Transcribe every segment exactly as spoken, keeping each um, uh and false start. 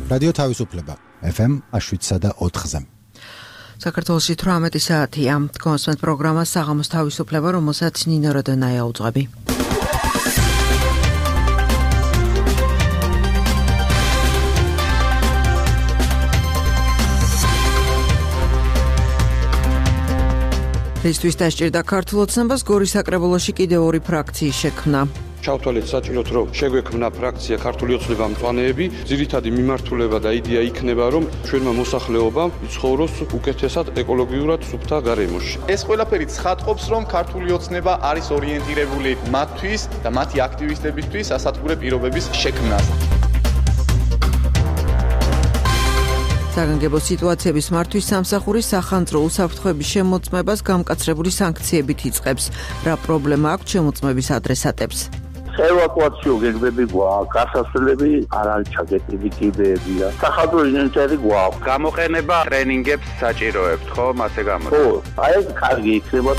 რადიო თავისუფლება ეფ ემ შვიდსა და ოთხზე. საქართველოში თვრამეტი საათია. კონსვენთ პროგრამა საღამოს თავისუფლება, რომელსაც ნინო როდონაია უძღვები. რისთვის დასჭირდა ქართულ ოცნებას გორის საკრებულოში კიდევ ორი ფრაქციის შექმნა. ჩავთვალეთ საჭიროთ, რომ შეგვექმნა ფრაქცია ქართული ოცნება მწვანეები, ძირითადი მიმართულება და იდეა იქნება, რომ ჩვენმა მოსახლეობამ იცხოვროს უკეთესად ეკოლოგიურად სუფთა გარემოში. ეს ყველაფერი ცხადყოფს, რომ ქართული ოცნება არის ორიენტირებული მათთვის და მათი აქტივისტებისთვის სასათბურე პირობების შექმნაზე. საგანგებო სიტუაციების მართვის სამსახური სახანძრო უსაფრთხოების შემოწმებას გამკაცრებული სანქციებით იწყებს. რა პრობლემა აქვს შემოწმების ადრესატებს? ევაკუაციო გეგმები გვაქვს, გასასვლელები არ არის ჩაგეტილი კიბეებია. სახალხო ინტერესები გვაქვს. გამოყენება ტრენინგებს საჭიროებთ, ხო, მასე გამოდი. ხო, აი ეს კარგი იქნება.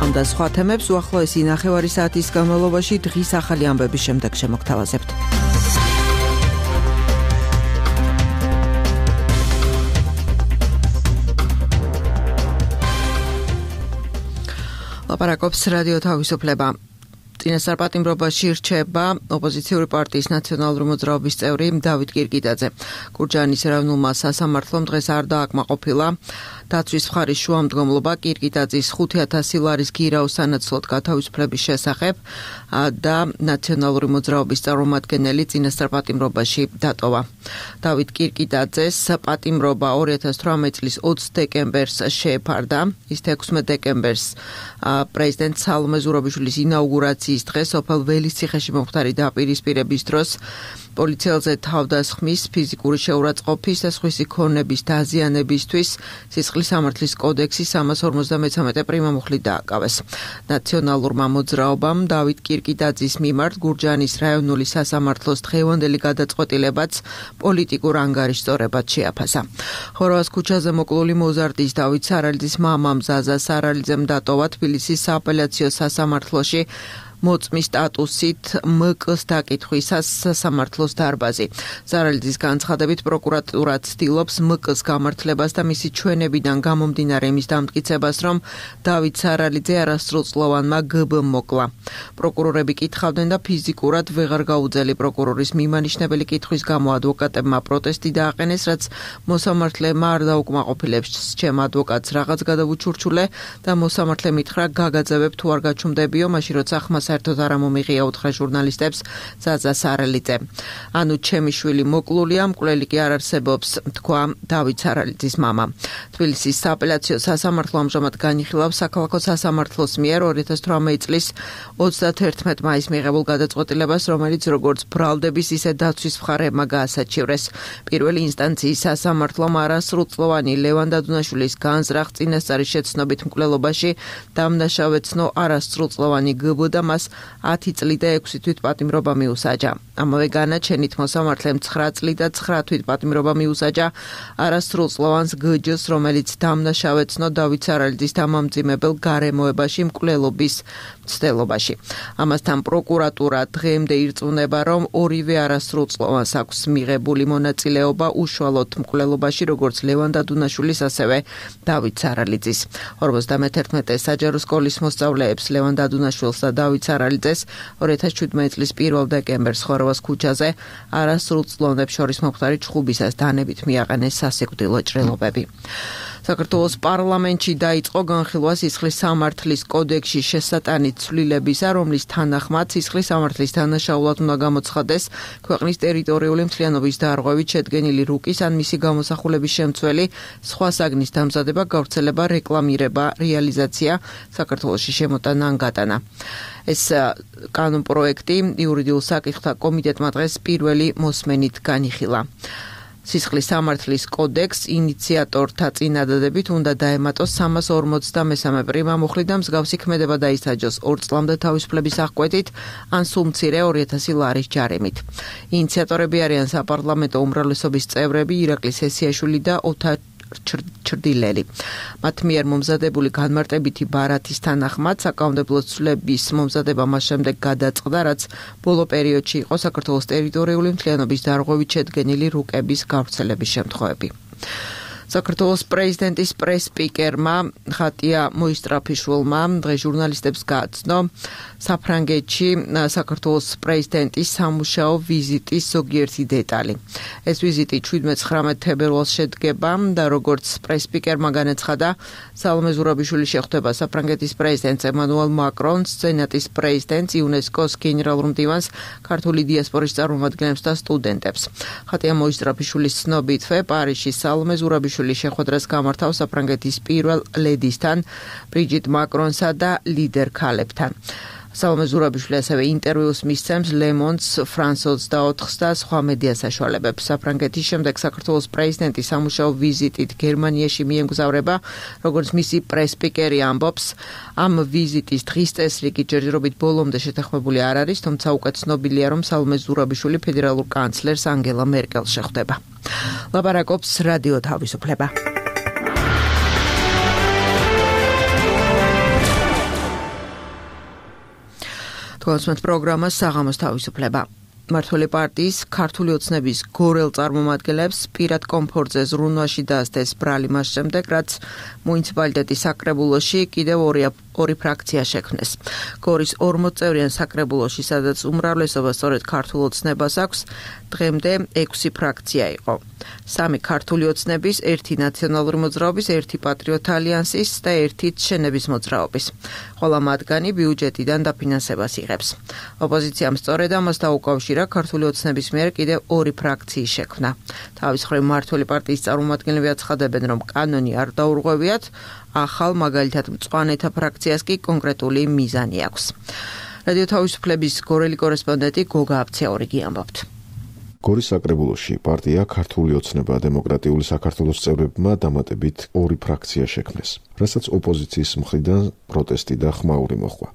ამ და სხვა თემებს უახლოესი ნახევარი საათის განმავლობაში დღის ახალი ამბების შემდეგ შემოგთავაზებთ. ლაპარაკობს რადიო თავისუფლება. წინასწარ პატიმრობაში რჩება ოპოზიციური პარტიის ნაციონალური მოძრაობის წევრი დავით კირკიტაძე. გურჯაანის ეროვნულმა სასამართლომ დღეს არ დააკმაყოფილა დაცვის მხარის შუამდგომლობა კირკიტაძის ხუთი ათასი ლარის გირაოს სანაცვლოდ გათავისუფლების შესახებ და ნაციონალური მოძრაობის წარმომადგენელი წინასწარ პატიმრობაში დატოვა. დავით კირკიტაძეს პატიმრობა ორი ათას თვრამეტი წლის ოცი დეკემბერს შეეფარდა. ის ექვსმეტ დეკემბერს პრეზიდენტ სალომე ზურაბიშვილის ინაუგურაციის დღეს სოფელ ველისციხეში მომხდარი დაპირისპირების დროს პოლიციელზე თავდასხმის, ფიზიკური შეურაცხყოფის და სხვისი ქონების დაზიანებისთვის სისხლის სამართლის კოდექსის სამას ორმოცდამეცამეტე პრიმამუხლი დააკავეს. ნაციონალურმა მოძრაობამ დავით კირკიტაძის მიმართ გურჯაანის რაიონული სასამართლოს დღევანდელი გადაწყვეტილებაც პოლიტიკურ ანგარიშწორებად შეაფასა. ხოროვას ქუჩაზე მოკლული მოზარდის დავით სარალიძის მამამ ზაზა სარალიძემ დატოვა თბილისის სააპელაციო სასამართლოში მოწმის სტატუსით მკ-ს დაკითხვისას სასამართლოს დარბაზი. სარალიძის განცხადებით პროკურატურა ცდილობს მკ-ს გამართლებას და მისი ჩვენებიდან გამომდინარე იმის დამტკიცებას, რომ დავით სარალიძე არასრულწლოვანმა გბ-მ მოკლა. პროკურორები კითხავდნენ და ფიზიკურად ვეღარ გაუძელი პროკურორის მიმანიშნებელი კითხვის გამო ადვოკატებმა პროტესტი დააყენეს, რაც მოსამართლეებმა არ დაუკმაყოფილებს ჩემ ადვოკატს რაღაც გადავუჩურჩულე და მოსამართლე მითხრა გაგაძევებ თუ არ გაჩუმდებიო, მაშინ როცა ხმა საერთოდ არ ამომიღია უთხრა ჟურნალისტებს ზაზა სარალიძე. ანუ ჩემი შვილი მოკლულია, მკვლელი კი არ არსებობს, თქვა დავით სარალიძის მამა. თბილისის სააპელაციო სასამართლო ამჟამად განიხილავს საქალაქო სასამართლოს მიერ ორი ათას თვრამეტი წლის ოცდათერთმეტ მაისს მიღებულ გადაწყვეტილებას, რომელიც როგორც ბრალდების, ისე დაცვის მხარეებმა გაასაჩივრეს. პირველი ინსტანციის სასამართლომ არასრულწლოვანი ლევან დადუნაშვილის განზრახ წინასწარი შეცნობით მკვლელობაში დამნაშავეცნო არასრულწლოვანი გბ და მას ათი წლი და ექვსი თვით პატიმრობა მიუსაჯა. ამავე განაჩენით მოსამართლემ ცხრა წლი და ცხრა თვით პატიმრობა მიუსაჯა არასრულწლოვანს გჯ-ს, რომელიც დამნაშავეცნო დავით სარალიძის დამამძიმებელ გარემოებაში მკვლელობის მცდელობაში. ამასთან პროკურატურა დღემდე ირწმუნება, რომ ორივე არასრულწლოვანს აქვს მიღებული მონაწილეობა უშუალოდ მკვლელობაში, როგორც ლევან დადუნაშვილის, ასევე დავით სარალიძის. ორმოცდამეთერთმეტე საჯარო სკოლის მოსწავლეებს ლევან დადუნაშვილს და დავით სარალიძეს ორი ათას შვიდმეტი წლის პირველ დეკემბერს ხოროვას ქუჩაზე არასრულწლოვანებს შორის მომხდარი ჩხუბისას დანებით მიაყენეს სასიკვდილო ჭრილობები. საქართველოს პარლამენტში დაიწყო განხილვა სისხლის სამართლის კოდექსში შესატანით ცვლილებისა, რომლის თანახმად სისხლის სამართლის დანაშაულად უნდა გამოცხადდეს ქვეყნის ტერიტორიული მთლიანობის დარღვევით შედგენილი რუკის ან მისი გამოსახულების შემცველი სხვა საგნის დამზადება, გავრცელება, რეკლამირება, რეალიზაცია, საქართველოში შემოტანა ან გატანა. ეს კანონპროექტი იურიდიულ საკითხთა კომიტეტმა დღეს პირველი მოსმენით განიხილა. სისხლის სამართლის კოდექს ინიციატორთა წინადადებით უნდა დაემატოს სამას ორმოცდამესამე პრიმამუხლი და მსგავსი ქმედება დაისაჯოს ორ წლამდე თავისუფლების აღკვეთით ან სულ მცირე ორი ათასი ლარის ჯარიმით. ინიციატორები არიან საპარლამენტო უმრავლესობის წევრები ირაკლი სესიაშვილი და ოთარ ჩრდილელი. მათ მიერ მომზადებული განმარტებითი ბარათის თანახმად საკანონმდებლო ცვლილების მომზადება მას შემდეგ გადაწყდა, რაც ბოლო პერიოდში იყო საქართველოს ტერიტორიული მთლიანობის დარღვევით შედგენილი რუკების გავრცელების შემთხვევები. საქართველოს პრეზიდენტის პრეს-სპიკერმა ხატია მოისტრაფიშვილმა დღეს ჟურნალისტებს გააცნო საფრანგეთში საქართველოს პრეზიდენტის სამუშაო ვიზიტის ზოგიერთი დეტალი. ეს ვიზიტი შვიდმეტ-ცხრამეტ თებერვალს შედგება და როგორც პრეს-სპიკერმა განაცხადა, სალომე ზურაბიშვილი შეხვდება საფრანგეთის პრეზიდენტს ემანუელ მაკრონს, სენატის პრეზიდენტს, იუნესკოს გენერალურ მდივანს, ქართული დიასპორის წარმომადგენლებს და სტუდენტებს. ხატია მოისტრაფიშვილის ცნობითვე პარიზში სალომე ზურაბიშვილი შეხვედრას გამართავს საფრანგეთის პირველ ლედისთან, ბრიჯიტ მაკრონსა და ლიდერ ქალებთან. სალომე ზურაბიშვილი ასევე ინტერვიუს მისცემს Le Monde, France ოცდაოთხს და სხვა მედია საშუალებებს. საფრანგეთის შემდეგ საქართველოს პრეზიდენტის სამუშაო ვიზიტით გერმანიაში მიემგზავრება, როგორც მისი პრეს-სპიკერი ამბობს. ამ ვიზიტის დღის წესრიგი ჯერჯერობით ბოლომდე შეთანხმებული არ არის, თუმცა უკვე ცნობილია, რომ სალომე ზურაბიშვილი ფედერალურ კანცლერს ანგელა მერკელს შეხვდება. ლაპარაკობს რადიო თავისუფლება. თვალსმეთ პროგრამა საღამოს თავისუფლება. მმართველი პარტიის ქართული ოცნების გორელ წარმომადგენლებს პირად კომფორტზე ზრუნვაში დაასდეს ბრალი მას შემდეგ, რაც მუნიციპალიტეტის საკრებულოში კიდევ ორი ორი ფრაქცია შექმნეს. გორის ორმოცწევრიან საკრებულოში, სადაც უმრავლესობა სწორედ ქართულ ოცნებას აქვს, დღემდე ექვსი ფრაქცია იყო. სამი ქართული ოცნების, ერთი ნაციონალური მოძრაობის, ერთი პატრიოტ ალიანსის და ერთი შენების მოძრაობის. ყველა მათგანი ბიუჯეტიდან დაფინანსებას იღებს. ოპოზიციამ სწორედ ამას დაუკავშირა ქართული ოცნების მიერ კიდევ ორი ფრაქციის შექმნა. თავის მხრივ მმართველი პარტიის წარმომადგენლები აცხადებენ, რომ კანონი არ დაურღვევიათ, ახალ მაგალითად მწვანეთა ფრაქციას კი კონკრეტული მიზანი აქვს. რადიო თავისუფლების გორელი კორესპონდენტი გოგა აბცეორიგი ამბობთ. გორის საკრებულოში პარტია ქართული ოცნება დემოკრატიული საქართველოს წევრებმა დამატებით ორი ფრაქცია შექმნეს, რასაც ოპოზიციის მხრიდან პროტესტი და ხმაური მოჰყვა.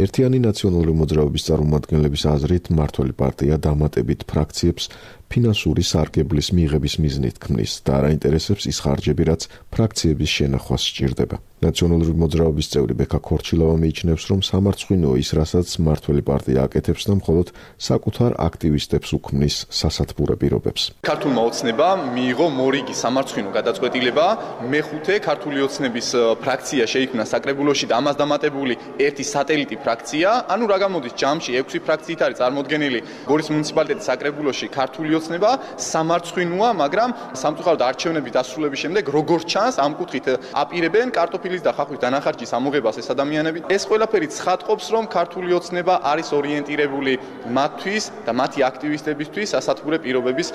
ერთიანი ნაციონალური მოძრაობის წარმომადგენლების აზრით, მმართველი პარტია დამატებით ფრაქციებს ფინანსური სარგებლის მიღების მიზნით ქმნის და არ აინტერესებს ის ხარჯები, რაც ფრაქციების შენახვას სჭირდება. ნაციონალური მოძრაობის წევრი ბექა ქორჩილავა მიიჩნევს, რომ სამარცხვინოა ის, რასაც მმართველი პარტია აკეთებს და მხოლოდ საკუთარ აქტივისტებს უქმნის სასათბურე პირობებს. ქართულმა ოცნებამ მიიღო მორიგი სამარცხვინო გადაწყვეტილება, მეხუთე ქართული ოცნების ფრაქცია შეიქმნა საკრებულოში და ამას დამატებული ერთი სატელიტი ფრაქცია, ანუ რა გამოდის ჯამში ექვსი ფრაქციით არის წარმოდგენილი გორის მუნიციპალიტეტის საკრებულოში ქართული ოცნება, სამარცხვინოა, მაგრამ სამწუხაროდ არჩევნების დასრულების შემდეგ როგორც ჩანს, ამ კუთხით აპირებენ კარტოფილის და ხახვის დანახარჯის ამოღებას ეს ადამიანები. ეს ყველაფერი ცხადყოფს, რომ ქართული ოცნება არის ორიენტირებული მათთვის და მათი აქტივისტებისთვის სასათბურე პირობების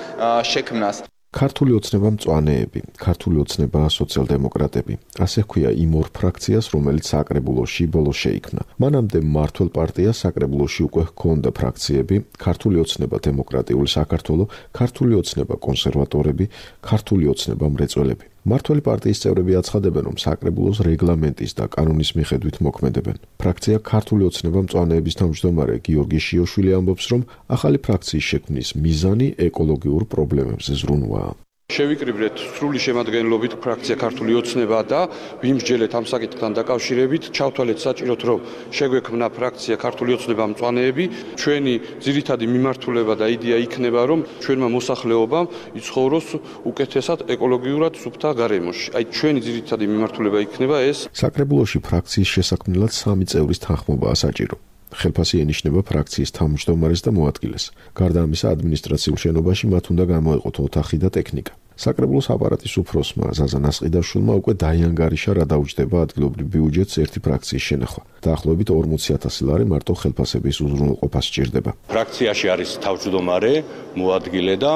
შექმნას. ქართული ოცნება მწვანეები, ქართული ოცნება სოციალ-დემოკრატები. ასე ჰქვია იმ ორ ფრაქციას, რომელიც საკრებულოში ბოლოს შეიქმნა. მანამდე მმართველ პარტიას საკრებულოში უკვე ჰქონდა ფრაქციები: ქართული ოცნება დემოკრატიული საქართველო, ქართული ოცნება კონსერვატორები, ქართული ოცნება მრეწველები. მმართველი პარტიის წევრები აცხადებენ, რომ საკრებულოს რეგლამენტის და კანონის მიხედვით მოქმედებენ. ფრაქცია ქართული ოცნება მწვანეების თავმჯდომარე გიორგი შიოშვილი ამბობს, რომ ახალი ფრაქციის შექმნის მიზანი ეკოლოგიურ პრობლემებზე ზრუნვაა. შევიკრიბეთ სრული შემადგენლობით ფრაქცია ქართული ოცნება და ვიმსჯელეთ ამ საკითხთან დაკავშირებით, ჩავთვალეთ საჭიროდ, რომ შეგვექმნა ფრაქცია ქართული ოცნება მწვანეები. ჩვენი ძირითადი მიმართულება და იდეა იქნება, რომ ჩვენმა მოსახლეობამ იცხოვროს უკეთესად ეკოლოგიურად სუფთა გარემოში. აი ჩვენი ძირითადი მიმართულება იქნება ეს. საკრებულოში ფრაქციის შესაქმნელად სამი წევრის თანხმობაა საჭირო. ხელფასი ენიშნება ფრაქციის თავმჯდომარეს და მოადგილეს. გარდა ამისა, ადმინისტრაციულ შენობაში მათ უნდა გამოეყოთ ოთახი და ტექნიკა. საკრებულოს აპარატის უფროსმა ზაზა ნასყიდაშვილმა უკვე დაიანგარიშა, რა დაუჯდება ადგილობრივ ბიუჯეტს ერთი ფრაქციის შენახვა. დაახლოებით ორმოცი ათასი ლარი მარტო ხელფასების უზრუნველყოფას სჭირდება. ფრაქციაში არის თავმჯდომარე, მოადგილე და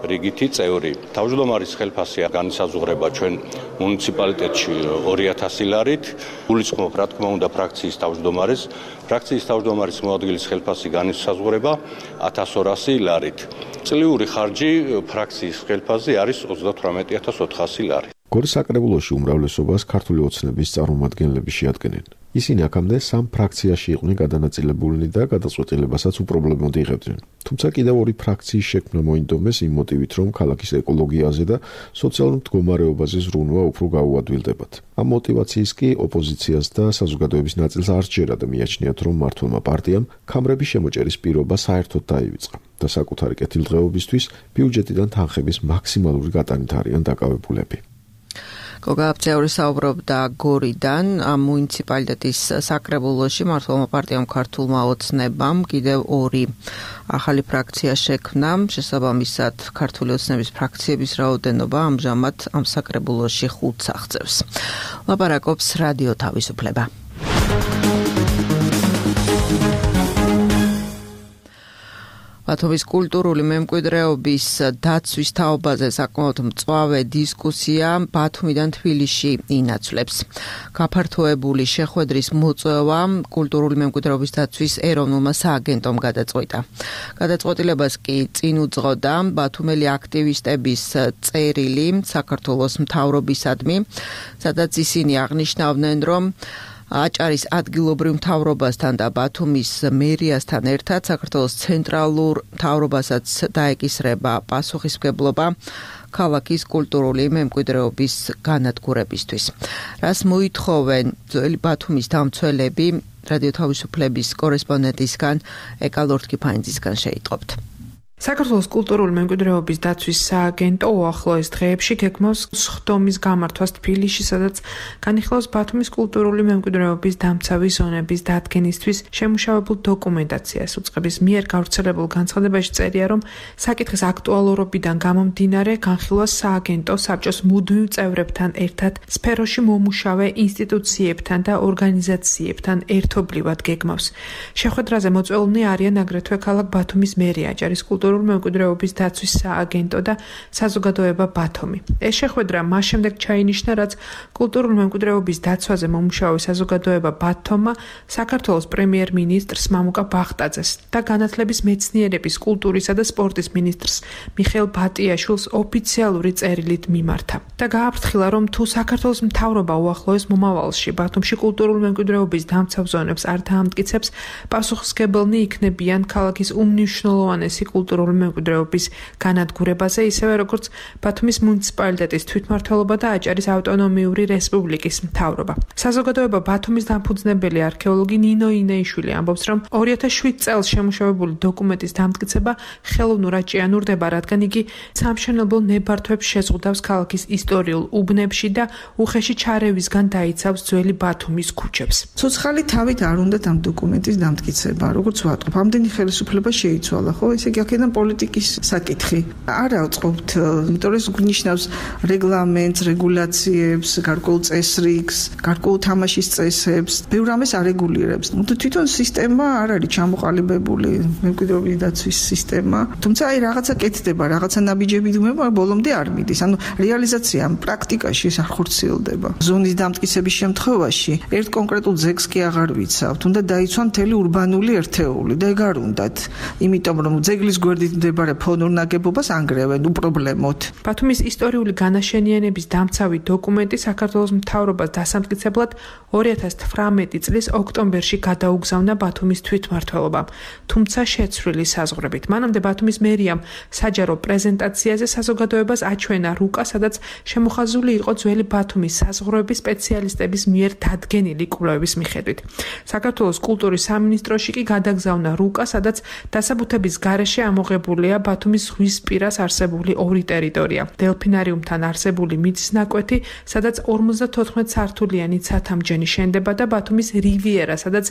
რიგითი წევრი. თავმჯდომარის ხელფასი განისაზღვრება ჩვენ მუნიციპალიტეტში ორი ათასი ლარით. გულისხმობ, რა თქმა უნდა, ფრაქციის თავმჯდომარეს. ფრაქციის თავმჯდომარის მოადგილის ხელფასი განისაზღვრება ათას ორასი ლარით. წლიური ხარჯი ფრაქციის ხელფასზე არის ოცდათვრამეტი ათას ოთხასი ლარი. გორის საკრებულოში უმრავლესობას ქართული ოცნების წარმომადგენლები შეადგენენ. ისინი აქამდე სამ ფრაქციაში იყვნენ გადანაწილებულნი და გადაწყვეტილებასაც უპრობლემოდ იღებდნენ. თუმცა კიდევ ორი ფრაქციის შექმნა მოინდომეს იმ მოტივით, რომ ქალაქის ეკოლოგიაზე და სოციალურ მდგომარეობაზე ზრუნვა უფრო გაუადვილდებათ. ამ მოტივაციის კი ოპოზიციას და საზოგადოების ნაწილს არ სჯერა და მიაჩნიათ, რომ მმართველმა პარტიამ ქამრების შემოჭერის პირობა საერთოდ დაივიწყა და საკუთარი კეთილდღეობისთვის ბიუჯეტიდან თანხების მაქსიმალური გატანით არიან დაკავებულები. გოგა აბწეული საუბრობდა გორიდან, ამ მუნიციპალიტეტის საკრებულოში მმართველმა პარტიამ ქართულმა ოცნებამ კიდევ ორი ახალი ფრაქცია შექმნა, შესაბამისად ქართული ოცნების ფრაქციების რაოდენობა ამჟამად ამ საკრებულოში ხუთს აღწევს. ლაპარაკობს რადიო თავისუფლება. ბათუმის კულტურული მემკვიდრეობის დაცვის თაობაზე საკმაოდ მწვავე დისკუსია ბათუმიდან თბილისში ინაცვლებს. გაფართოებული შეხვედრის მოწვევა კულტურული მემკვიდრეობის დაცვის ეროვნულმა სააგენტომ გადაწყვიტა. გადაწყვეტილებას კი წინ უძღოდა ბათუმელი აქტივისტების წერილი საქართველოს მთავრობისადმი, სადაც ისინი აღნიშნავდნენ, რომ აჭარის ადგილობრივ მთავრობასთან და ბათუმის მერიასთან ერთად საქართველოს ცენტრალურ მთავრობასაც დაეკისრება პასუხისმგებლობა ქალაქის კულტურული მემკვიდრეობის განადგურებისთვის. რას მოითხოვენ ძველი ბათუმის დამცველები, რადიო თავისუფლების კორესპონდენტისგან ეკალორთ კიფაინძისგან შეიტყობთ. საქართველოს კულტურული მემკვიდრეობის დაცვის სააგენტო უახლოეს დღეებში გეგმავს სხდომის გამართვას თბილისში, სადაც განიხილავს ბათუმის კულტურული მემკვიდრეობის დამცავი ზონების დადგენისთვის შემუშავებულ დოკუმენტაციას. უწყების მიერ გავრცელებულ განცხადებაში წერია, რომ საკითხის აქტუალურობიდან გამომდინარე განხილვას სააგენტო საბჭოს მუდმივ წევრებთან ერთად სფეროში მომუშავე ინსტიტუციებთან და ორგანიზაციებთან ერთობლივად გეგმავს. შეხვედრაზე მოწვეულნი არიან აგრეთვე ქალაქ ბათუმის მერია, აჭარის კულტურული მემკვიდრეობის დაცვის სააგენტო და საზოგადოება ბათუმი. ეს შეხვედრა მას შემდეგ ჩაინიშნა, რაც კულტურული მემკვიდრეობის დაცვაზე მომუშავე საზოგადოება ბათუმმა საქართველოს პრემიერ-მინისტრს მამუკა ბახტაძეს და განათლების მეცნიერების, კულტურისა და სპორტის მინისტრს მიხეილ ბატიაშვილს ოფიციალური წერილით მიმართა და გააფრთხილა, რომ თუ საქართველოს მთავრობა უახლოეს მომავალში ბათუმში კულტურული მემკვიდრეობის დამცავ ზონებს არ დაამტკიცებს, პასუხისმგებლნი იქნებიან ქალაქის უმნიშვნელოვანესი კულტურული მემკვიდრეობის განადგურებაზე, ისევე როგორც ბათუმის მუნიციპალიტეტის თვითმმართველობა და აჭარის ავტონომიური რესპუბლიკის მთავრობა. საზოგადოება ბათუმის დამფუძნებელი არქეოლოგი ნინო ინეიშვილი ამბობს, რომ ორი ათას შვიდ წელს შემუშავებული დოკუმენტის დამტკიცება ხელოვნურად ჭიანურდება, რადგან იგი სამშენებლო ნებართვებს შეზღუდავს ქალაქის ისტორიულ უბნებში და უხეში ჩარევისგან დაიცავს ძველი ბათუმის ქუჩებს. ცოცხალი თავით არ უნდათ ამ დოკუმენტის დამტკიცება, როგორც ვატყობ, ამდენი ხელისუფლება შეიცვალა, ხო? ესე იგი აქედან პოლიტიკის საკითხი არ ავწყობთ, იმიტომ რომ ეს გვნიშნავს რეგლამენტს, რეგულაციებს, გარკვეულ წესრიგს, გარკვეულ თამაშის წესებს, ბევრ რამეს არეგულირებს. თვითონ სისტემა არ არის ჩამოყალიბებული, მემკვიდრეობის დაცვის სისტემა, თუმცა აი რაღაცა კეთდება, რაღაცა ნაბიჯები დუმება, ბოლომდე არ მიდის. ანუ რეალიზაცია პრაქტიკაში ეს არ ხორციელდება. ზონის დამტკიცების შემთხვევაში ერთ კონკრეტულ ძეგლს კი აღარ ვიცავთ, უნდა დაიცვა მთელი ურბანული ერთეული და ეგ არ უნდათ, იმიტომ რომ ძეგლის გვერდით მდებარე ფონურ ნაგებობას ანგრევენ უპრობლემოდ. ბათუმის ისტორიული განაშენიანების დამცავი დოკუმენტი საქართველოს მთავრობას დასამტკიცებლად ორი ათას თვრამეტი წლის ოქტომბერში გადაუგზავნა ბათუმის თვითმმართველობამ, თუმცა შეცვლილი საზღვრებით. მანამდე ბათუმის მერიამ საჯარო პრეზენტაციაზე საზოგადოებას აჩვენა რუკა, სადაც შემოხაზული იყო ძველი ბათუმის საზღვრების სპეციალისტების მიერ დადგენილი კვლევების მიხედვით. საქართველოს კულტურის სამინისტროში კი გადაგზავნა რუკა, სადაც დასაბუთების გარეშე ამოღებულია ბათუმის ზღვისპირას არსებული ორი ტერიტორია. დელფინარიუმთან არსებული მიწის ნაკვეთი, სადაც ორმოცდათოთხმეტ სართულიანი ცათამბჯენი შენდება და ბათუმის რივიერა, სადაც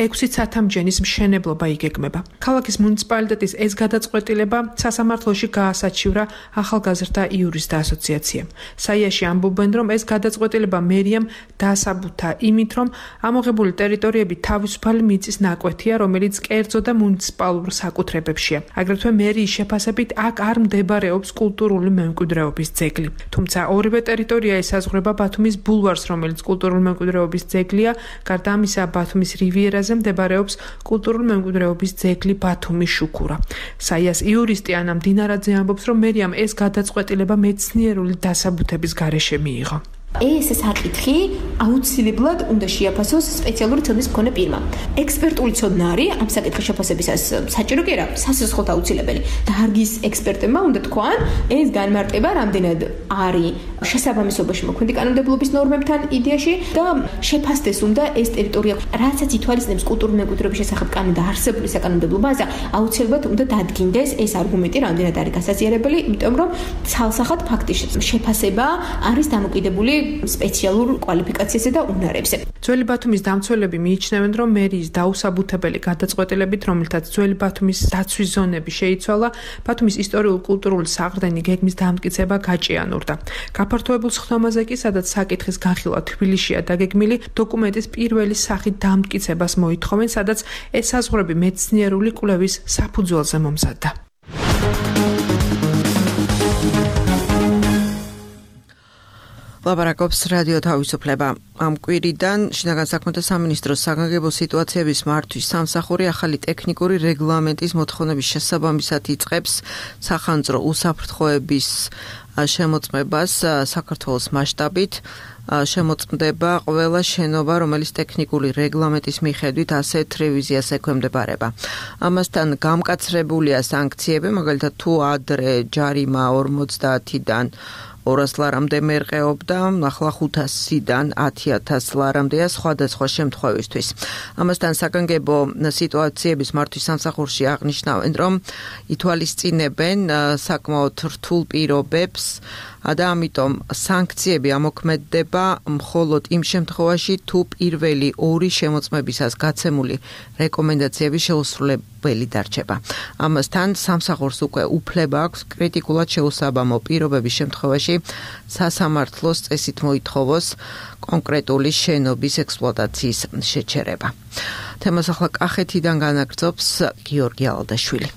ექვსი ცათამბჯენის მშენებლობა იგეგმება. ქალაქის მუნიციპალიტეტის ეს გადაწყვეტილება სასამართლოში გაასაჩივრა ახალგაზრდა იურისტთა ასოციაციამ. საიაში ამბობენ, რომ ეს გადაწყვეტილება მერიამ დაასაბუთა იმით, რომ ამოღებული ტერიტორიები თავისუფალი მიწის ნაკვეთია, რომელიც კერძო და მუნიციპალურ საკუთრებებშია. აგრეთვე მერიის შეფასებით აქ არ მდებარეობს კულტურული მემკვიდრეობის ძეგლი. თუმცა ორივე ტერიტორია ესაზღვრება ბათუმის ბულვარს, რომელიც კულტურული მემკვიდრეობის ძეგლია. გარდა ამისა, ბათუმის რივიერაზე მდებარეობს კულტურული მემკვიდრეობის ძეგლი ბათუმის შუქურა. საიას იურისტი ანა მდინარაძე ამბობს, რომ მერიამ ეს გადაწყვეტილება მეცნიერული დასაბუთების გარეშე მიიღო. ეს საკითხი აუცილებლად უნდა შეაფასოს სპეციალური ცოდნის მქონე პირმა. ექსპერტული ცოდნა არის ამ საკითხის შეფასებისას საჭირო კი არა, სასიცოცხლოდ აუცილებელი. დარგის ექსპერტებმა უნდა თქვან, ეს განმარტება რამდენად არის შესაბამისობაში მოქმედი კანონმდებლობის ნორმებთან იდეაში და შეფასდეს უნდა ეს ტერიტორია, რაცაც ითვალისწინებს კულტურული მემკვიდრეობის შესახებ კანონი და არსებული საკანონმდებლო ბაზა, აუცილებლად უნდა დადგინდეს ეს არგუმენტი რამდენად არის გასაზიარებელი, იმიტომ რომ ცალსახად ფაქტის შეფასება არის დამოკიდებული სპეციალურ კვალიფიკაციაზე და უნარებზე. ძველი ბათუმის დამცველები მიიჩნევენ, რომ მერიის დაუსაბუთებელი გადაწყვეტილებით, რომელთაც ძველი ბათუმის დაცვის ზონები შეიცვალა, ბათუმის ისტორიულ-კულტურული საყრდენი გეგმის დამტკიცება გაჭიანურდა. გაფართოებულ სხდომაზე კი, სადაც საკითხის განხილვა თბილისშია დაგეგმილი, დოკუმენტის პირველი სახით დამტკიცებას მოითხოვენ, სადაც ესაზღვრები მეცნიერული კვლევის საფუძველზე მომზადდა. ლაპარაკობს რადიო თავისუფლება. ამ კვირიდან შინაგან საქმეთა სამინისტროს საგანგებო სიტუაციების მართვის სამსახური ახალი ტექნიკური რეგლამენტის მოთხოვნების შესაბამისად იწყებს სახანძრო უსაფრთხოების შემოწმებას საქართველოს მასშტაბით. შემოწმდება ყველა შენობა, რომელიც ტექნიკური რეგლამენტის მიხედვით ასეთ რევიზიას ექვემდებარება. ამასთან გამკაცრებულია სანქციები, მაგალითად თუ ადრე ჯარიმა ორმოცდაათიდან ორას ლარამდე მერყეობდა, ახლა ხუთასიდან ათი ათას ლარამდეა სხვადასხვა შემთხვევისთვის. ამასთან საგანგებო სიტუაციების მართვის სამსახურში აღნიშნავენ, რომ ითვალისწინებენ საკმაოდ რთულ პირობებს და ამიტომ სანქციები ამოქმედდება მხოლოდ იმ შემთხვევაში, თუ პირველი ორი შემოწმებისას გაცემული რეკომენდაციები შეუსრულებელი დარჩება. ამასთან სამსახურს უკვე უფლება აქვს კრიტიკულად შეუსაბამო პირობების შემთხვევაში სასამართლოს წესით მოითხოვოს კონკრეტული შენობის ექსპლუატაციის შეჩერება. თემას ახლა კახეთიდან განაგრძობს გიორგი ალდაშვილი.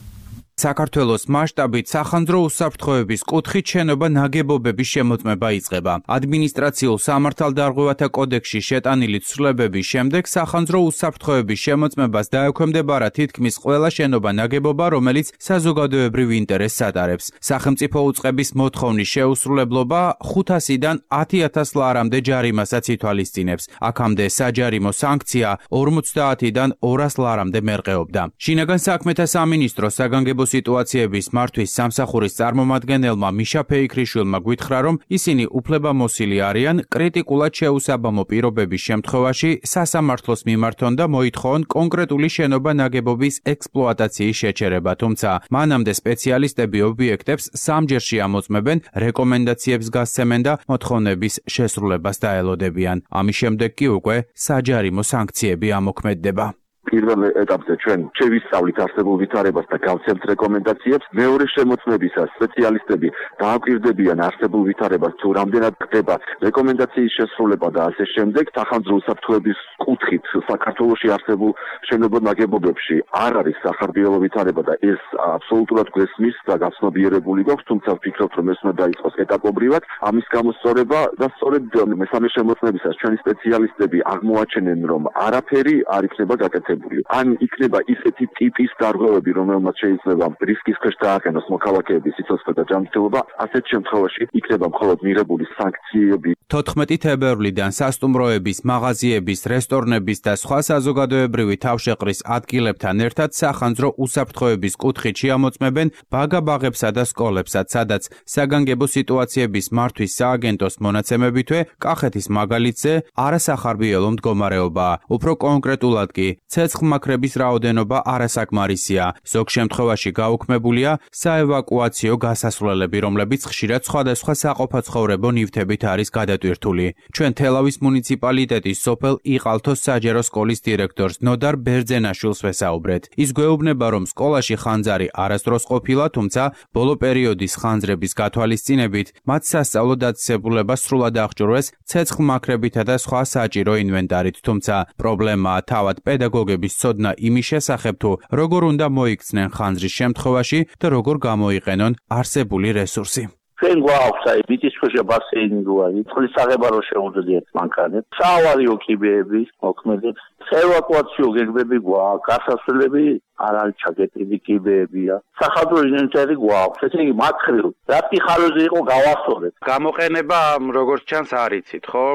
საქართველოს მასშტაბით სახანძრო უსაფრთხოების კუთხით შენობა ნაგებობების შემოწმება იწყება. ადმინისტრაციულ სამართალდარღვევათა კოდექსში შეტანილი ცვლილებების შემდეგ სახანძრო უსაფრთხოების შემოწმებას დაექვემდებარა თითქმის ყველა შენობა ნაგებობა, რომელიც საზოგადოებრივ ინტერესს ატარებს. სახელმწიფო უწყების მოთხოვნის შეუსრულებლობა ხუთასიდან ათი ათას ლარამდე ჯარიმასაც ითვალისწინებს. აქამდე საჯარიმო სანქცია ორმოცდაათიდან ორას ლარამდე მერყეობდა. შინაგან საქმეთა სამინისტროს საგანგებო სიტუაციების მართვის სამსახურის წარმომადგენელმა მიშა ფეიქრიშვილმა გვითხრა, რომ ისინი უფლებამოსილი არიან კრიტიკულად შეუსაბამო პირობების შემთხვევაში სასამართლოს მიმართონ და მოითხოვონ კონკრეტული შენობა ნაგებობის ექსპლუატაციის შეჩერება, თუმცა მანამდე სპეციალისტები ობიექტებს სამჯერში ამოწმებენ, რეკომენდაციებს გასცემენ და მოთხოვნების შესრულებას დაელოდებიან. ამის შემდეგ კი უკვე საჯარიმო სანქციები ამოქმედდება. პირველ ეტაპზე ჩვენ შევისწავლით არსებულ ვითარებას და გავცემთ რეკომენდაციებს. მეორე შემოწმებისას სპეციალისტები დააკვირდებიან არსებულ ვითარებას, თუ რამდენად ხდება რეკომენდაციის შესრულება და ასე შემდეგ. სახანძრო უსაფრთხოების კუთხით საქართველოში არსებულ შენობა-ნაგებობებში არ არის სახარბიელო ვითარება და ეს აბსოლუტურად გვესმის და გაცნობიერებული გვაქვს, თუმცა ვფიქრობთ, რომ ეს უნდა დაიწყოს ეტაპობრივად. ამის გამოსწორება და სწორედ მესამე შემოწმებისას ჩვენი სპეციალისტები აღმოაჩენენ, რომ არაფერი არ იქნება გაკეთებული. ან იქნება ისეთი ტიპის დარღვევები, რომელმაც შეიძლება რისკის ქვეშ დააყენოს მოქალაქეების სიცოცხლე და ჯანმრთელობა, ასეთ შემთხვევაში იქნება მხოლოდ მიღებული სანქციები. თოთხმეტი თებერვლიდან სასტუმროების, მაღაზიების, რესტორნების და სხვა საზოგადოებრივი თავშეყრის ადგილებთან ერთად სახანძრო უსაფრთხოების კუთხით შეამოწმებენ ბაგა-ბაღებსა და სკოლებსაც, სადაც საგანგებო სიტუაციების მართვის სააგენტოს მონაცემებითვე კახეთის მაგალითზე არასახარბიელო მდგომარეობაა. უფრო კონკრეტულად კი ცეცხლმაქრების რაოდენობა არასაკმარისია. ზოგ შემთხვევაში გაუქმებულია საევაკუაციო გასასვლელები, რომლებიც ხშირად სხვადასხვა საყოფაცხოვრებო ნივთებით არის გადატვირთული. ჩვენ თელავის მუნიციპალიტეტის სოფელ იყალთოს საჯარო სკოლის დირექტორს ნოდარ ბერძენაშვილს ვესაუბრეთ. ის გვეუბნება, რომ სკოლაში ხანძარი არასდროს ყოფილა, თუმცა ბოლო პერიოდის ხანძრების გათვალისწინებით მათ სასწავლო დაწესებულება სრულად აღჭურვეს ცეცხლმაქრებითა და სხვა საჭირო ინვენტარით, თუმცა პრობლემაა თავად პედაგოგების ცოდნა იმის შესახებ, თუ როგორ უნდა მოიქცნენ ხანძრის შემთხვევაში და როგორ გამოიყენონ არსებული რესურსი. ჩვენ გვაქვს აი მიწისქვეშა ბასეინი გვაქვს, წყლის აღება რო შეუძლიათ მანქანებს, საავარიო კიბეები, მოქმედებს, ევაკუაციო გეგმები გვაქვს, გასასვლელები არ არის ჩაგეტილი კიბეებია. სახადრო ინვენტარი გვაქვს, ესე იგი მათ ხრივ რა პიხალოზე იყო გავასწორეთ. გამოყენება როგორც ჩანს არ იცით, ხო?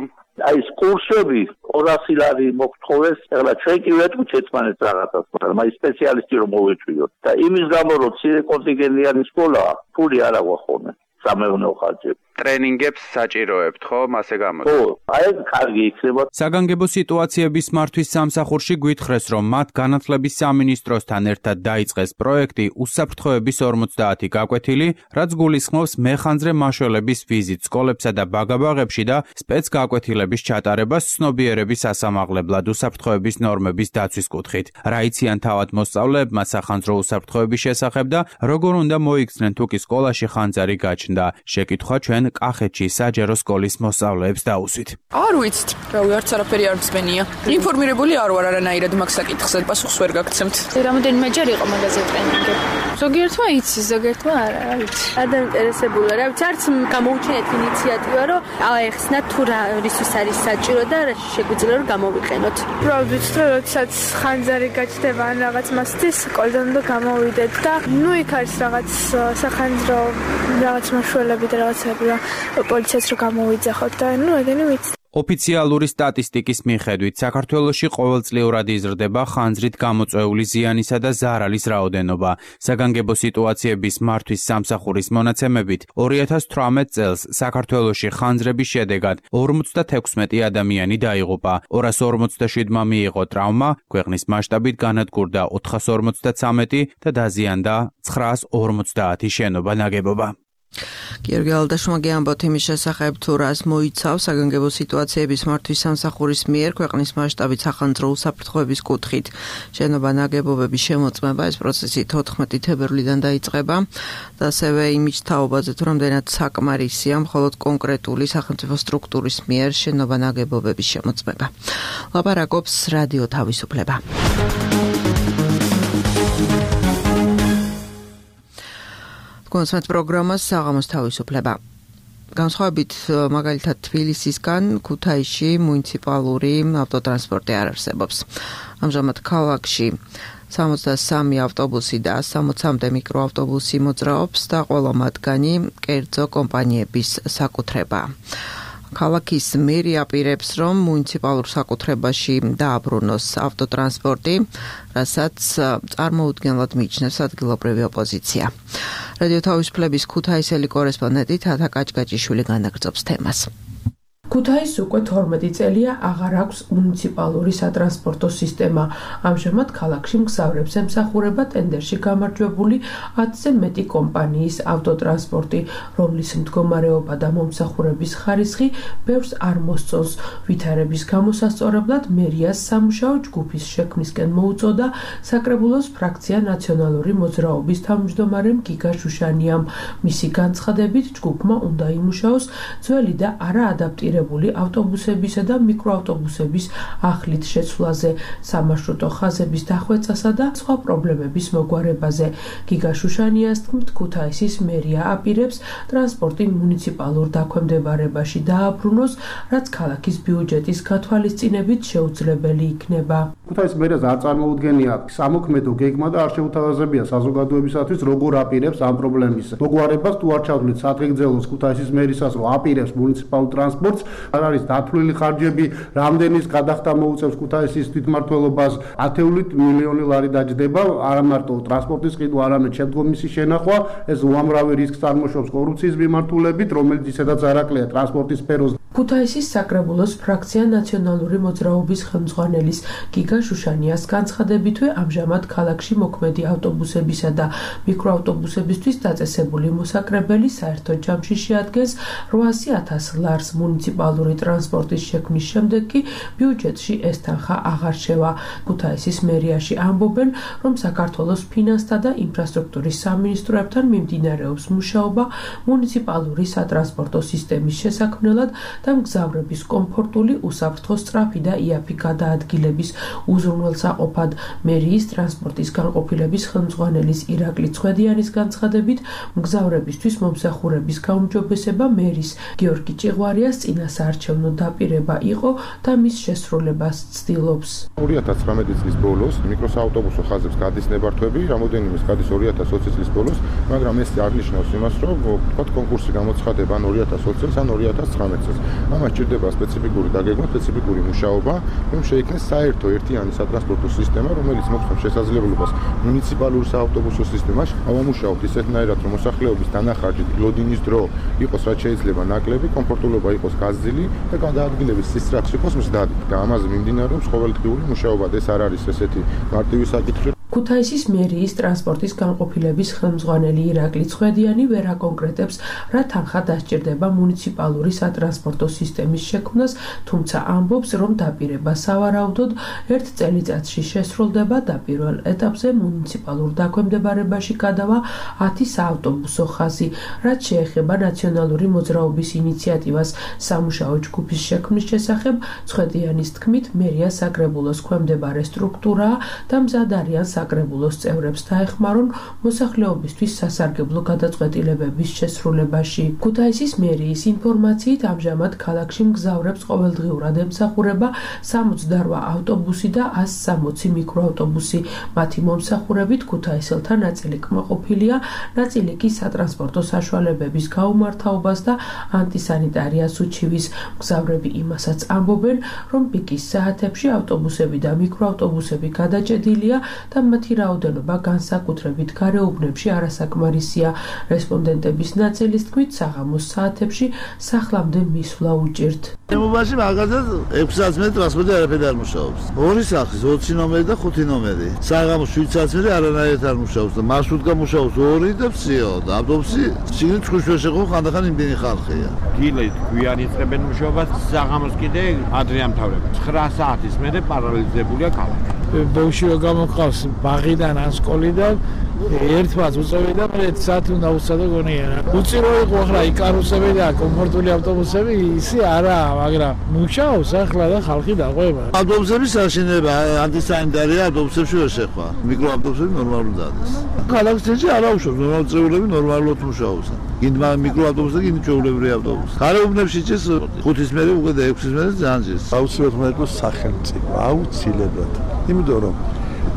აი კურსები ორასი ლარი მოგთხოვეს, ეხლა ჩვენ კი ვეთქვით ერთმანეთს რაღაცას, მაგრამ აი სპეციალისტი რომ მოვეწვიოთ და იმის გამო რომ ცირე კონტინგენტიანი სკოლაა, ფული არ აქვს ხოლმე სამეურნეო ხარჯები. ტრენინგებს საჭიროებთ, ხო? ასე გამოდის. ხო, აი კარგი იქნება. საგანგებო სიტუაციების მართვის სამსახურში გვითხრეს, რომ მათ განათლების სამინისტროსთან ერთად დაიწყეს პროექტი უსაფრთხოების ორმოცდაათი გაკვეთილი, რაც გულისხმობს მეხანძრე მაშველების ვიზიტ სკოლებსა და ბაგაბაღებში და სპეცგაკვეთილების ჩატარებას ცნობიერების ასამაღლებლად უსაფრთხოების ნორმების დაცვის კუთხით. რა იციან თავად მოსწავლეებმა სახანძრო უსაფრთხოების შესახებ და როგორ უნდა მოიქცნენ თუ კი სკოლაში ხანძარი გაჩნდა. შეკითხვა ჩვენ კახეთში საჯარო სკოლის მოსწავლეებს დაუსვით. არ ვიცით, რავი, არც არაფერი არ მსმენია. ინფორმირებული არ ვარ არანაირად მაგ საკითხზე, პასუხს ვერ გაგცემთ. რამდენიმეჯერ იყო მაგაზე ტრენინგი. ზოგიერთმა იცის, ზოგიერთმა არა, რა ვიცი. ადაინტერესებულა, რა ვიცი, არც გამოუჩენეთ ინიციატივა, რომ აეხსნათ თუ რა რისთვის არის საჭირო და რა შეგვიძლია რომ გამოვიყენოთ. პრობლემით, როდესაც ხანძარი გაჩნდება ან რაღაც მასთვის, სკოლიდან უნდა გამოვიდეთ და ნუ იქ არის რაღაც სახანძრო რაღაც მაშველები და რაღაცები პოლიციას რო გამოვიძახოთ და ნუ ეგენი ვიცი. ოფიციალური სტატისტიკის მიხედვით საქართველოში ყოველწლიურად იზრდება ხანძრით გამოწვეული ზიანისა და ზარალის რაოდენობა. საგანგებო სიტუაციების მართვის სამსახურის მონაცემებით ორი ათას თვრამეტ წელს საქართველოში ხანძრების შედეგად ორმოცდათექვსმეტი ადამიანი დაიღუპა, ორას ორმოცდაშვიდმა მიიღო ტრავმა, ქვეყნის მასშტაბით განადგურდა ოთხას ორმოცდაცამეტი და დაზიანდა ცხრაას ორმოცდაათი შენობა ნაგებობა. გიორგი ალდაშმა გეამბოთ იმის შესახებ, თუ რას მოიცავს საგანგებო სიტუაციების მართვის სამსახურის მიერ ქვეყნის მასშტაბით სახანძრო უსაფრთხოების კუთხით შენობა ნაგებობების შემოწმება. ეს პროცესი თოთხმეტი თებერვლიდან დაიწყება და ასევე იმის თაობაზე, თუ რამდენად საკმარისია მხოლოდ კონკრეტული სახელმწიფო სტრუქტურის მიერ შენობა ნაგებობების შემოწმება. ლაპარაკობს რადიო თავისუფლება. კონსერტ პროგრამას საღამოს თავისუფლება. განსხვავებით მაგალითად თბილისისგან ქუთაისში მუნიციპალური ავტოტრანსპორტი არ არსებობს. ამჟამად ქალაქში სამოცდასამი ავტობუსი და სამოცამდე მიკროავტობუსი მოძრაობს და ყველა მათგანი კერძო კომპანიების საკუთრებაა. ქალაქის მერი აპირებს, რომ მუნიციპალურ საკუთრებაში დააბრუნოს ავტოტრანსპორტი, რასაც წარმოუდგენლად მიიჩნევს ადგილობრივი ოპოზიცია. რადიო თავისუფლების ქუთაისელი კორესპონდენტი თათა კაჭკაჭიშვილი განაგრძობს თემას. ქუთაისს უკვე თორმეტი წელია აღარ აქვს მუნიციპალური სატრანსპორტო სისტემა. ამჟამად ქალაქში მგზავრებს ემსახურება ტენდერში გამარჯვებული ათზე მეტი კომპანიის ავტოტრანსპორტი, რომლის მდგომარეობა და მომსახურების ხარისხი ბევრს არ მოსწონს. ვითარების გამოსასწორებლად მერიას სამუშაო ჯგუფის შექმნისკენ მოუწოდა საკრებულოს ფრაქცია ნაციონალური მოძრაობის თავმჯდომარემ გიგა შუშანიამ. მისი განცხადებით ჯგუფმა უნდა იმუშაოს ძველი და არაადაპტირებული ავტობუსებისა და მიკროავტობუსების ახლით შეცვლაზე, სამარშრუტო ხაზების დახვეწასა და სხვა პრობლემების მოგვარებაზე. გიგა შუშანიას თქმით, ქუთაისის მერია აპირებს ტრანსპორტი მუნიციპალურ დაქვემდებარებაში დააბრუნოს, რაც ქალაქის ბიუჯეტის გათვალისწინებით შეუძლებელი იქნება. ქუთაისის მერიას არ წარმოუდგენია სამოქმედო გეგმა და არ შეუთავაზებია საზოგადოებისათვის როგორ აპირებს ამ პრობლემის მოგვარებას. თუ არ ჩავთვლით სათრიგძელოს ქუთაისის მერისას, რომ აპირებს მუნიციპალურ ტრანსპორტს, არ არის დათვლილი ხარჯები, რამდენის გადახდა მოუწევს ქუთაისის თვითმმართველობას, ათეული მილიონი ლარი დაჯდება, არა მარტო ტრანსპორტის ყიდვა, არამედ შემდგომ მისი შენახვა. ეს უამრავი რისკს წარმოშობს კორუფციის მიმართულებით, რომელიც ისედაც არაკლია ტრანსპორტის სფეროს. ქუთაისის საკრებულოს ფრაქცია ნაციონალური მოძრაობის ხელმძღვანელის გიგა შუშანიას განცხადებითვე ამჟამად ქალაქში მოქმედი ავტობუსებისა და მიკროავტობუსებისთვის დაწესებული მოსაკრებელი საერთო ჯამში შეადგენს რვაასი ათას ლარს. მუნიციპალური ტრანსპორტის შექმნის შემდეგ კი ბიუჯეტში ეს თანხა აღარ შევა. ქუთაისის მერიაში ამბობენ, რომ საქართველოს ფინანსთა და ინფრასტრუქტურის სამინისტროებთან მიმდინარეობს მუშაობა მუნიციპალური სატრანსპორტო სისტემის შესაქმნელად და მგზავრების კომფორტული, უსაფრთხო, სწრაფი და იაფი გადაადგილების უზრუნველსაყოფად. მერიის ტრანსპორტის განყოფილების ხელმძღვანელის ირაკლი ცხედიანის განცხადებით, მგზავრებისთვის მომსახურების გაუმჯობესება მერის გიორგი ჭიღვარიას წინასაარჩევნო დაპირება იყო და მის შესრულებას ცდილობს. ორი ათას ცხრამეტი წლის ბოლოს მიკროსაავტობუსო ხაზებს გადის ნებართვები, რამოდენიმე გადის ორი ათას ოცი წლის ბოლოს, მაგრამ ეს არ ნიშნავს იმას, რომ თქვათ კონკურსი გამოცხადება ან ორი ათას ოცი წელს ან ორი ათას ცხრამეტ წელს. ამას ჭირდება სპეციფიკური დაგეგმა, სპეციფიკური მუშაობა, რომ შეიქმნას საერთო ერთიანი სატრანსპორტო სისტემა, რომელიც მოგცემს შესაძლებლობას მუნიციპალური საავტობუსო სისტემაში ავამუშაოთ ისეთნაირად, რომ მოსახლეობის დანახარჯი, ლოდინის დრო იყოს რაც შეიძლება ნაკლები, კომფორტულობა იყოს გაზრდილი და გადაადგილების სისწრაფე იყოს მზდადი. და ამაზე მიმდინარეობს ყოველდღიური მუშაობა. ეს არ არის ესეთი მარტივი საკითხი. ქუთაისის მერიის ტრანსპორტის განყოფილების ხელმძღვანელი ირაკლი ცხედიანი ვერ აკონკრეტებს, რა თანხა დასჭირდება მუნიციპალური სატრანსპორტო სისტემის შექმნას, თუმცა ამბობს, რომ დაპირება სავარაუდოდ ერთ წელიწადში შესრულდება და პირველ ეტაპზე მუნიციპალურ დაქვემდებარებაში გადავა ათი საავტობუსო ხაზი, რაც შეეხება ნაციონალური მოძრაობის ინიციატივას სამუშაო ჯგუფის შექმნის შესახებ. ცხედიანის თქმით, მერია საკრებულოს ქვემდებარე სტრუქტურაა და მზად არიან საკრებულოს წევრებს დაეხმარონ მოსახლეობისთვის სასარგებლო გადაწყვეტილებების შესრულებაში. ქუთაისის მერიის ინფორმაციით ამჟამად ქალაქში მგზავრებს ყოველდღიურად ემსახურება სამოცდარვა ავტობუსი და ასი სამოცი მიკროავტობუსი. მათი მომსახურებით ქუთაისელთა ნაწილი კმაყოფილია, ნაწილი კი სატრანსპორტო საშუალებების გაუმართავობას და ანტისანიტარიას უჩივის. მგზავრები იმასაც ამბობენ, რომ პიკის საათებში ავტობუსები და მიკროავტობუსები გადაჭედილია და მათი რაოდენობა განსაკუთრებით გარეუბნებში არასაკმარისია. რესპონდენტების ნაწილის თქმით, საღამოს საათებში სახლამდე მისვლა უჭირთ. შემობაში მაგალითად ექვსი საათი მეტრი ტრანსპორტი არაფერი არ მუშაობს. ორი სახის, ოცი ნომერი და ხუთი ნომერი. საღამოს შვიდ საათი მეტრი არანაირად არ მუშაობს და მარშრუტკა მუშაობს ორი და ფსიო და ავტობუსი შიგნით ჭუშ ვერ შეყო, ხანდახან იმდენი ხალხია. დილით გვიან იწყებენ მუშაობას, საღამოს კიდე ადრე ამთავრებენ. ცხრა საათის მერე პარალიზებულია ქალაქი. ბავშვი რო გამოყავს ბაღიდან ან სკოლიდან ერთმაც უწევდა მე ერთი საათი უნდა უცადო გონიერა. უწირო იყო ახლა იკარუსები და კომფორტული ავტობუსები ისი არაა, მაგრამ მუშაობს ახლა და ხალხი დაყვება. ავტობუსების აშენება ანტისანიტარია ავტობუსებში ვერ შეხვა. მიკროავტობუსები ნორმალურად არის. ქალაქში არ აუშვებს, ნორმალურად წევრები ნორმალურად მუშაობს. გინდა მიკროავტობუსი და გინდა ჩვეულებრივი ავტობუსი. გარეუბნებში ჭირს ხუთის მერე უკვე და ექვსის მერე ძალიან ჭირს. აუცილებლად უნდა იყოს სახელმწიფო, აუცილებლად. იმიტომ რომ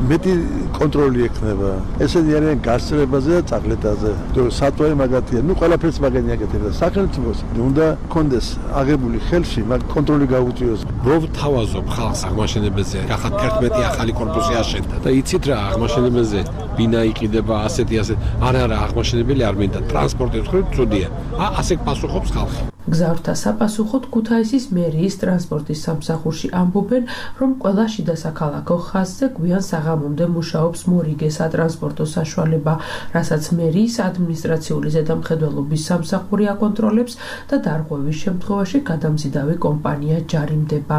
მეტი კონტროლი ექნება. ესენი არიან გასწრებაზე და წაღლეტაზე. სატვარი მაგათია. ნუ ყველაფერს მაგენი აკეთებდა. სახელმწიფოს უნდა კონდეს აღებული ხელში მაგ კონტროლი გაუწიოს. რო თავაზობ ხალხს აღმაშენებელზე, ახლა ერთმეტი ახალი კორპუსი აშენდა და იცით რა აღმაშენებელზე ბინა იყიდება ასეთი ასეთი. არა არა აღმაშენებელი არ მინდა. ტრანსპორტის მხრივ ცუდია. ა ასე პასუხობს ხალხი. მგზავრთა საპასუხოდ ქუთაისის მერიის ტრანსპორტის სამსახურში ამბობენ, რომ ყველა შიდა საქალაქო ხაზზე გვიან საღამომდე მუშაობს მორიგე სატრანსპორტო საშუალება, რასაც მერიის ადმინისტრაციული ზედამხედველობის სამსახური აკონტროლებს და დარღვევის შემთხვევაში გადამზიდავი კომპანია ჯარიმდება.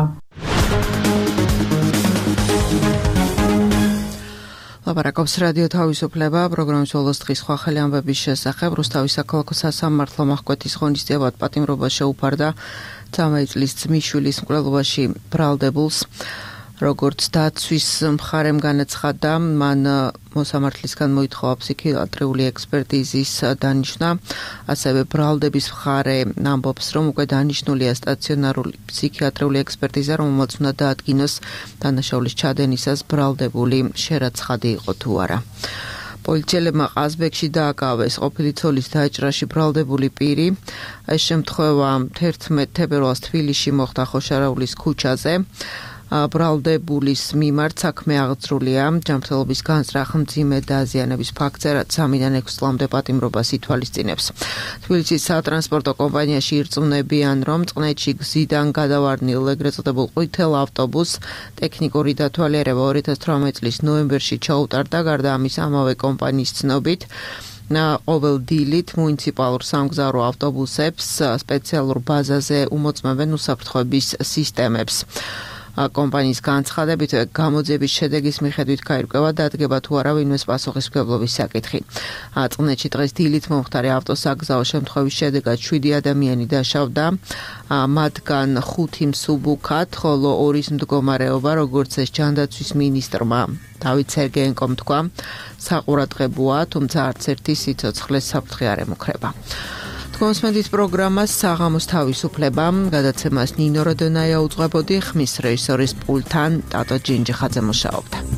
ლაპარაკობს რადიო თავისუფლება, პროგრამის ბოლოს დღის სხვა ხელი ამბების შესახებ. რუსთავის საქალაქო სასამართლო აღკვეთის ღონისძიებად პატიმრობა შეუფარდა ცამეტ წლის ძმისშვილის მკვლელობაში ბრალდებულს. როგორც დაცვის მხარემ განაცხადა, მან მოსამართლისგან მოითხოვა ფსიქიატრიული ექსპერტიზის დანიშნა, ასევე ბრალდების მხარე ამბობს, რომ უკვე დანიშნულია სტაციონარული ფსიქიატრიული ექსპერტიზა, რომელმაც უნდა დაადგინოს დანაშაულის ჩადენისას ბრალდებული შერაცხადი იყო თუ არა. პოლიციელებმა ყაზბეგში დააკავეს ყოფილი ცოლის დაჭრაში ბრალდებული პირი. ეს შემთხვევა თერთმეტ თებერვალს თბილისში მოხდა ხოშარაულის ქუჩაზე. ბრალდებულის მიმართ საქმე აღძრულია ჯანმრთელობის განზრახ მძიმე დაზიანების ფაქტზე, რაც სამიდან ექვსი წლამდე პატიმრობას ითვალისწინებს. თბილისის სატრანსპორტო კომპანიაში ირწმუნებიან, რომ წყნეთში გზიდან გადავარდნილ ეგრეთ წოდებულ ყვითელ ავტობუსს ტექნიკური დათვალიერება ორი ათას თვრამეტი წლის ნოემბერში ჩაუტარდა. გარდა ამის, ამავე კომპანიის ცნობით ყოველ დილით მუნიციპალურ სამგზავრო ავტობუსებს სპეციალურ ბაზაზე უმოწმებენ უსაფრთხოების სისტემებს. კომპანიის განცხადებით გამოძიების შედეგის მიხედვით გაირკვევა დადგება თუ არა ვინმეს პასუხისმგებლობის საკითხი. წყნეთში დღეს დილით მომხდარი ავტოსაგზაო შემთხვევის შედეგად შვიდი ადამიანი დაშავდა, მათგან ხუთი მსუბუქად, ხოლო ორის მდგომარეობა, როგორც ეს ჯანდაცვის მინისტრმა დავით სერგეენკომ თქვა, საყურადღებოა, თუმცა არც ერთი სიცოცხლეს საფრთხე არ ემუქრება. კონსმენდის პროგრამას საღამოს თავისუფლება, გადაცემას ნინო როდონაია უძღვებოდი, ხმის რეჟისორის პულტთან ტატო ჯინჯიხაძე მუშაობდა.